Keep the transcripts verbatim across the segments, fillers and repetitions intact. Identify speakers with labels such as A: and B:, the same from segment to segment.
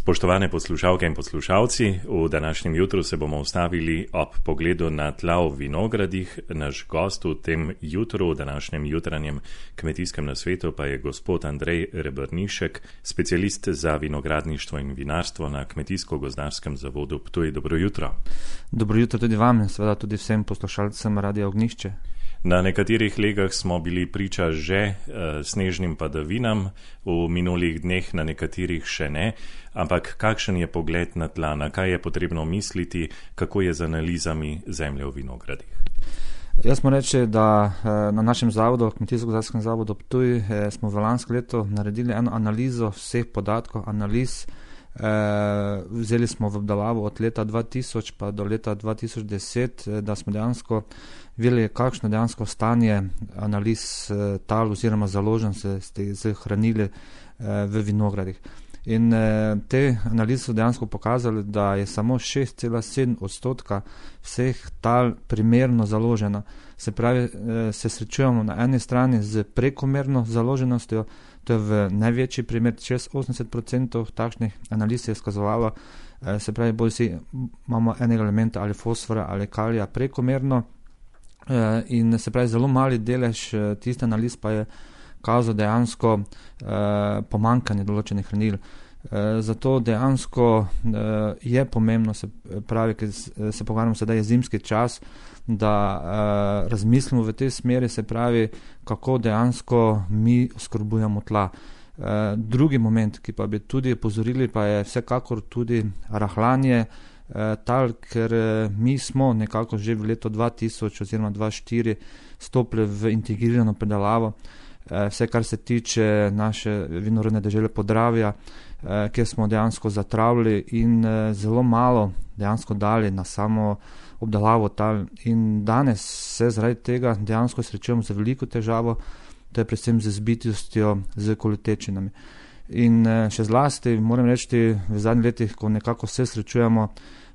A: Spoštovane poslušalke in poslušalci, v današnjem jutru se bomo ustavili ob pogledu na tla v vinogradih. Naš gost v tem jutru, v današnjem jutranjem kmetijskem nasvetu pa je gospod Andrej Rebrnišek, specialist za vinogradništvo in vinarstvo na Kmetijsko-gozdarskem zavodu Ptuj. Dobro jutro.
B: Dobro jutro tudi vam in seveda tudi vsem poslušalcem Radia Ognjišče.
A: Na nekaterih legah smo bili priča že uh, snežnim padavinam, v minulih dneh na nekaterih še ne, ampak kakšen je pogled na tla, na kaj je potrebno misliti, kako je z analizami zemlje v vinogradih?
B: Jaz moram reči, da na našem zavodu, Kmetijsko-gozdarskem zavodu Ptuj, smo v lansko leto naredili eno analizo vseh podatkov, analiz. Vzeli smo v obdelavo od leta dva tisoč pa do leta dva tisoč deset, da smo dejansko videli, kakšno dejansko stanje analiz tal oziroma založenosti z hranili v vinogradih. In te analize so dejansko pokazali, da je samo šest cela sedem odstotka vseh tal primerno založena. Se pravi, se srečujemo na eni strani z prekomerno založenostjo, to je v največji primer, čez osemdeset procentov takšnih analiz je skazovalo, se pravi, bolj si imamo enega elementa ali fosfora ali kalija prekomerno in se pravi, zelo mali delež tiste analiz pa je kazal dejansko pomanjkanje določenih hranil. Zato dejansko je pomembno, se pravi, ker se pogovarjamo sedaj je zimski čas, da uh, razmislimo v tej smeri, se pravi, kako dejansko mi oskrbujemo tla. Uh, drugi moment, ki pa bi tudi opozorili, pa je vsekakor tudi rahljanje uh, tal, ker uh, mi smo nekako že v letu dva tisoč oziroma dva tisoč štiri stopili v integrirano predelavo. Uh, vse, kar se tiče naše vinorodne dežele Podravja, uh, kjer smo dejansko zatravili in uh, zelo malo dejansko dali na samo obdelavo tal. In danes se zaradi tega dejansko srečujemo z veliko težavo, to je predvsem z zbitostjo, z kolotečinami. In še zlasti, moram reči, v zadnjih letih, ko nekako se srečujemo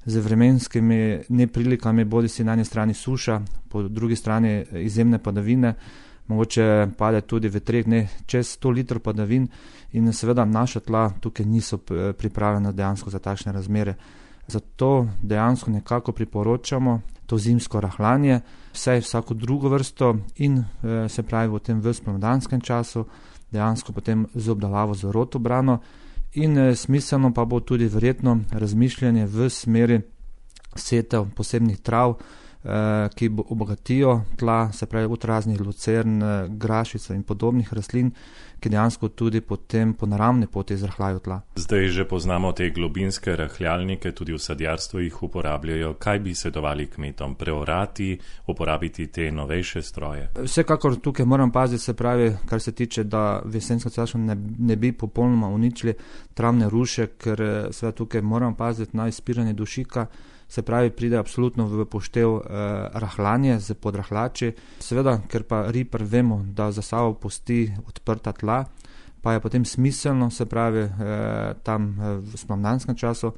B: z vremenskimi neprilikami, bodi si na eni strani suša, po drugi strani izjemne padavine, mogoče pade tudi v treh dneh čez sto litrov padavin in seveda naša tla tukaj niso pripravljena dejansko za takšne razmere. Zato dejansko nekako priporočamo to zimsko rahljanje, vsaj vsako drugo vrsto in e, se pravi v tem v spomladanskem času, dejansko potem z obdelavo z rotobrano in e, smiselno pa bo tudi verjetno razmišljanje v smeri setev posebnih trav, e, ki bo obogatijo tla, se pravi od raznih lucern, grašica in podobnih rastlin, ki dejansko tudi potem po naravni poti zrahljajo tla.
A: Zdaj že poznamo te globinske rahljalnike, tudi v sadjarstvu jih uporabljajo. Kaj bi svetovali kmetom? Preorati, uporabiti te novejše stroje?
B: Vsekakor tukaj moram paziti, se pravi, kar se tiče, da v jesensko času ne, ne bi popolnoma uničili travne ruše, ker seveda tukaj moram paziti na izpiranje dušika. Se pravi, pride absolutno v poštev eh, rahljanje z podrahljači. Seveda, ker pa ripar vemo, da za sabo pusti odprta tla, pa je potem smiselno, se pravi, eh, tam eh, v spomladanskem času,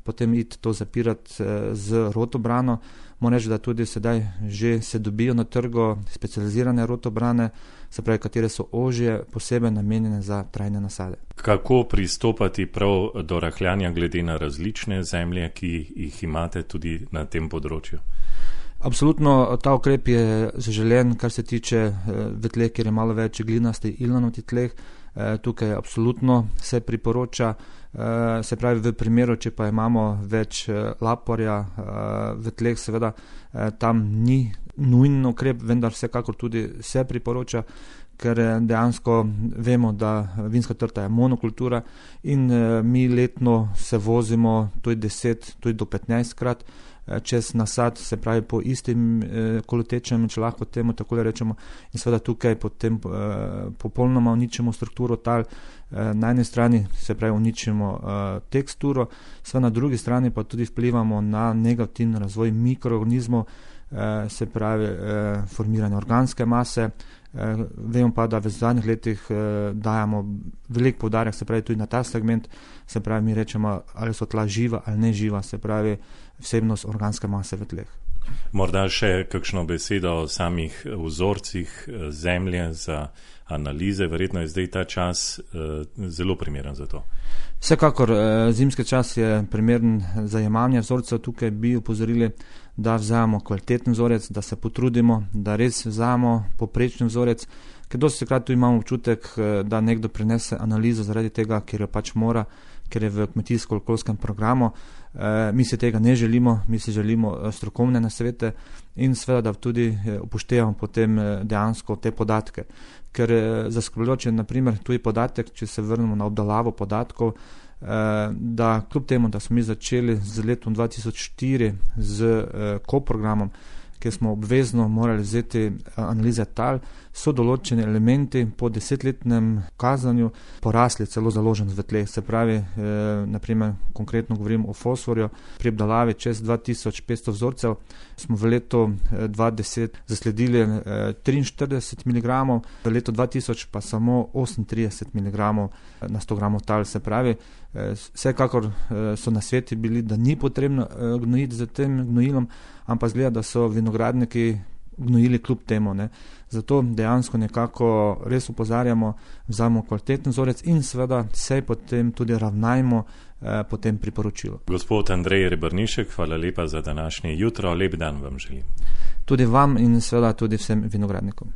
B: potem iti to zapirati eh, z rotobrano. Moram reči, da tudi sedaj že se dobijo na trgu specializirane rotobrane, se pravi, katere so ožje, posebej namenjene za trajne nasade.
A: Kako pristopati prav do rahljanja glede na različne zemlje, ki jih imate tudi na tem področju?
B: Absolutno ta ukrep je zaželen, kar se tiče v tleh, kjer je malo več glinasti ilnanoti tleh. Tukaj absolutno se priporoča, se pravi v primeru, če pa imamo več laporja v tleh, seveda tam ni nujen ukrep, vendar vsekakor tudi se priporoča, ker dejansko vemo, da vinska trta je monokultura in mi letno se vozimo tudi deset, tudi do petnajst krat čez nasad, se pravi po istim eh, kolotečem, če lahko temu tako rečemo, in seveda tukaj potem eh, popolnoma uničimo strukturo tal, eh, na eni strani se pravi uničimo eh, teksturo, seveda na drugi strani pa tudi vplivamo na negativni razvoj mikroorganizmov, eh, se pravi eh, formiranje organske mase. Eh, vemo pa, da v zadnjih letih eh, dajamo velik poudarek, se pravi tudi na ta segment, se pravi mi rečemo, ali so tla živa ali ne živa, se pravi vsebnost organske mase v tleh.
A: Morda še kakšno besedo o samih vzorcih zemlje za analize. Verjetno je zdaj ta čas uh, zelo primeren za to.
B: Vsekakor zimski čas je primeren za jemanje vzorcev. Tukaj bi upozorili, da vzamemo kvaliteten vzorec, da se potrudimo, da res vzamemo poprečni vzorec, ker dosti krat tu imamo občutek, da nekdo prinese analizo zaradi tega, ker jo pač mora, ker je v kmetijsko-okoljskem programu. E, mi si tega ne želimo, mi si želimo strokovne nasvete in seveda, da tudi upoštevamo potem dejansko te podatke. Ker zaskrbljujoč je naprimer tuji podatek, če se vrnemo na obdelavo podatkov, da kljub temu, da smo mi začeli z letom dva tisoč štiri z ko-programom, kjer smo obvezno morali vzeti analize tal, so določeni elementi po desetletnem kazanju porasli celo založen v tleh. Se pravi, eh, naprimer, konkretno govorim o fosforju, pri obdelavi čez dva tisoč petsto vzorcev smo v letu dva tisoč deset zasledili eh, triinštirideset miligramov, v letu dva tisoč pa samo osemintrideset miligramov na sto gramov tal. Se pravi, eh, vsekakor eh, so nasveti bili, da ni potrebno eh, gnojiti z tem gnojilom, ampak zgleda, da so vinogradniki gnojili kljub temu. Ne. Zato dejansko nekako res upozarjamo, vzamemo kvaliteten vzorec in seveda se potem tudi ravnajmo eh, po tem priporočilu.
A: Gospod Andrej Rebrnišek, hvala lepa za današnje jutro. Lep dan vam želim.
B: Tudi vam in seveda tudi vsem vinogradnikom.